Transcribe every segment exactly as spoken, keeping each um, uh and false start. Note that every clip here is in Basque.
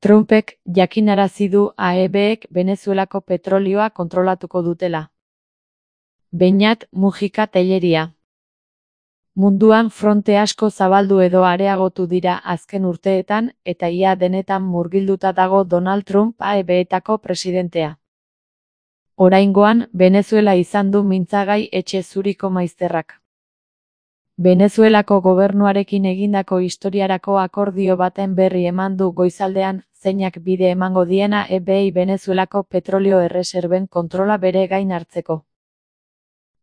Trumpek jakinarazi du A E Bek Venezuelako petrolioa kontrolatuko dutela. Beñat Mujika Telleria. Munduan fronte asko zabaldu edo areagotu dira azken urteetan eta ia denetan murgilduta dago Donald Trump A E Betako presidentea. Oraingoan, Venezuela izan du mintzagai etxe zuriko maizterrak. Venezuelako gobernuarekin egindako historiarako akordio baten berri eman du goizaldean, zeinak bide emango diena E Bei Venezuelako petrolio erreserben kontrola bere gain hartzeko.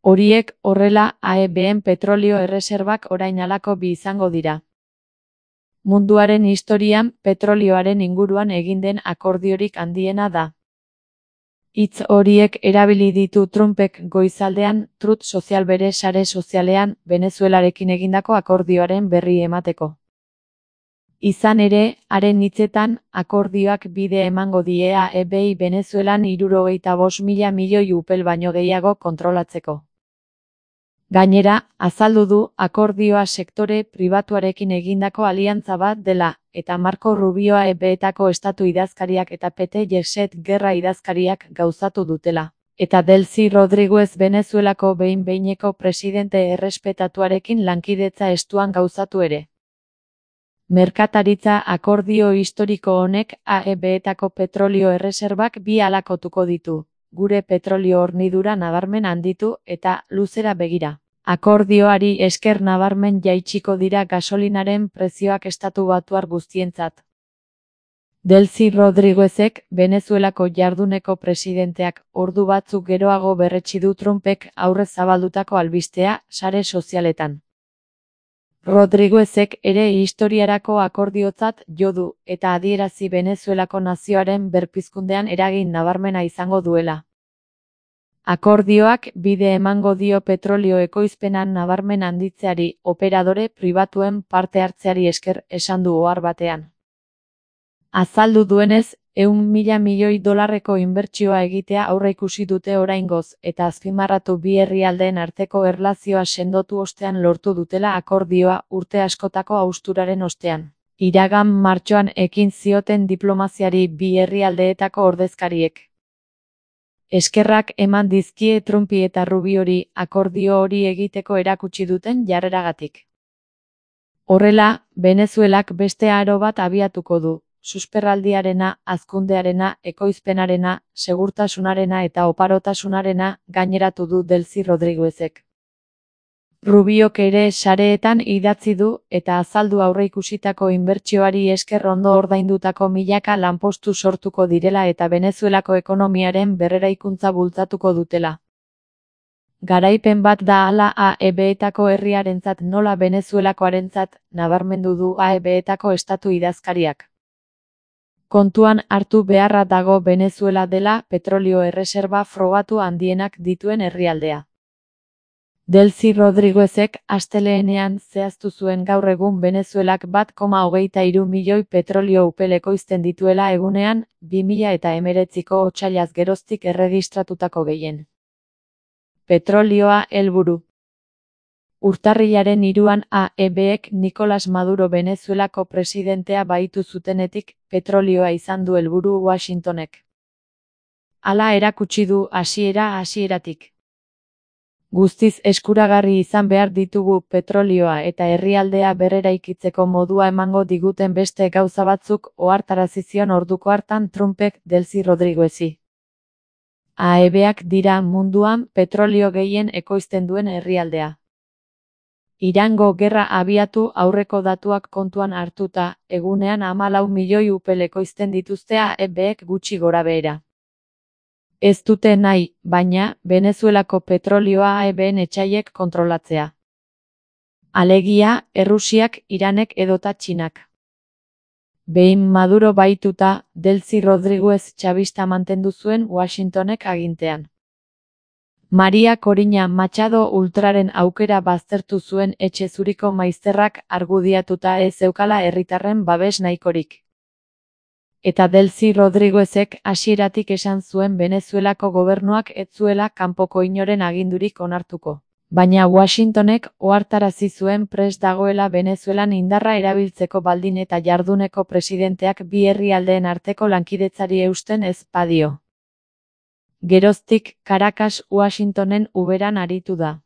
Horiek horrela A E Ben petrolio erreserbak orain halako bi izango dira. Munduaren historian petrolioaren inguruan egin den akordiorik handiena da. Hitz horiek erabili ditu Trumpek goizaldean Truth Social bere sare sozialean Venezuelarekin egindako akordioaren berri emateko. Izan ere, haren hitzetan, akordioak bide emango die A E Bei Venezuelan hirurogeita bost mila milioi upel baino gehiago kontrolatzeko. Gainera, azaldu du akordioa sektore pribatuarekin egindako aliantza bat dela, eta Marco Rubio A E Betako estatu idazkariak eta Pete Hegseth gerra idazkariak gauzatu dutela, eta Delcy Rodriguez Venezuelako behin-behineko presidente errespetatuarekin lankidetza estuan gauzatu ere. Merkataritza akordio historiko honek A E Betako petrolio erreserbak bi halakotuko ditu. Gure petrolio hornidura nabarmen handitu eta luzera begira. Akordioari esker nabarmen jaitsiko dira gasolinaren prezioak estatu batuar guztientzat. Delcy Rodriguezek, Venezuelako jarduneko presidenteak, ordu batzuk geroago berretsi du Trumpek aurrez zabaldutako albistea sare sozialetan. Rodriguezek ere historiarako akordiotzat jo du eta adierazi Venezuelako nazioaren berpizkundean eragin nabarmena izango duela. Akordioak bide emango dio petrolio ekoizpenan nabarmen handitzeari operadore pribatuen parte hartzeari esker esan du ohar batean. Azaldu duenez, ehun mila milioi dolarreko inbertsioa egitea aurreikusi dute oraingoz eta azpimarratu bi herrialdeen arteko erlazioa sendotu ostean lortu dutela akordioa urte askotako hausturaren ostean. Iragan martxoan ekin zioten diplomaziari bi herrialdeetako ordezkariek. Eskerrak eman dizkie Trumpi eta Rubiori akordio hori egiteko erakutsi duten jarreragatik. Horrela, Venezuelak beste aro bat abiatuko du. Susperraldiarena, hazkundearena, ekoizpenarena, segurtasunarena eta oparotasunarena gaineratu du Delcy Rodriguezek. Rubiok ere sareetan idatzi du eta azaldu aurreikusitako inbertsioari esker ondo ordaindutako milaka lanpostu sortuko direla eta Venezuelako ekonomiaren berreraikuntza bultzatuko dutela. Garaipen bat da hala A E Betako herriarentzat nola Venezuelakoarentzat, nabarmendu du A E Betako estatu idazkariak. Kontuan hartu beharra dago Venezuela dela petrolio erreserba frogatu handienak dituen herrialdea. Delcy Rodriguezek astelehenean zehaztu zuen gaur egun Venezuelak bat koma hogeita hiru milioi petrolio upel ekoizten dituela egunean, bi mila eta hemeretziko otsailaz geroztik erregistratutako gehien. Petrolioa helburu. Urtarrilaren hiruan A E Bek Nicolas Maduro Venezuelako presidentea baitu zutenetik, petrolioa izan du helburu Washingtonek. Hala erakutsi du hasiera hasieratik. Guztiz eskuragarri izan behar ditugu petrolioa eta herrialdea berreraikitzeko modua emango diguten beste gauza batzuk ohartarazi zion orduko hartan Trumpek Delcy Rodriguezi. A E Bak dira munduan petrolio gehien ekoizten duen herrialdea. Irango gerra abiatu aurreko datuak kontuan hartuta, egunean hamalau milioi upel ekoizten dituzte A E Bek gutxi gorabehera. Ez dute nahi, baina, Venezuelako petrolioa A E Ben etsaiek kontrolatzea. Alegia, Errusiak, Iranek edota Txinak. Behin Maduro baituta, Delcy Rodriguez txabista mantendu zuen Washingtonek agintean. Maria Corina Machado Ultraren aukera baztertu zuen etxe zuriko maizterrak argudiatuta ez zeukala herritarren babes nahikorik. Eta Delcy Rodriguezek hasieratik esan zuen Venezuelako gobernuak ez zuela kanpoko inoren agindurik onartuko. Baina Washingtonek ohartarazi zuen prest dagoela Venezuelan indarra erabiltzeko baldin eta jarduneko presidenteak bi herrialdeen arteko lankidetzari eusten ez badio. Geroztik, Caracas Washingtonen uberan aritu da.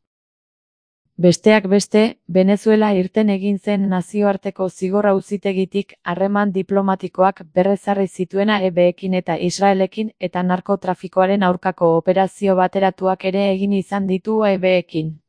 Besteak beste, Venezuela irten egin zen nazioarteko zigor auzitegitik harreman diplomatikoak berrezarri zituena E Beekin eta Israelekin eta narkotrafikoaren aurkako operazio bateratuak ere egin izan ditu E Beekin.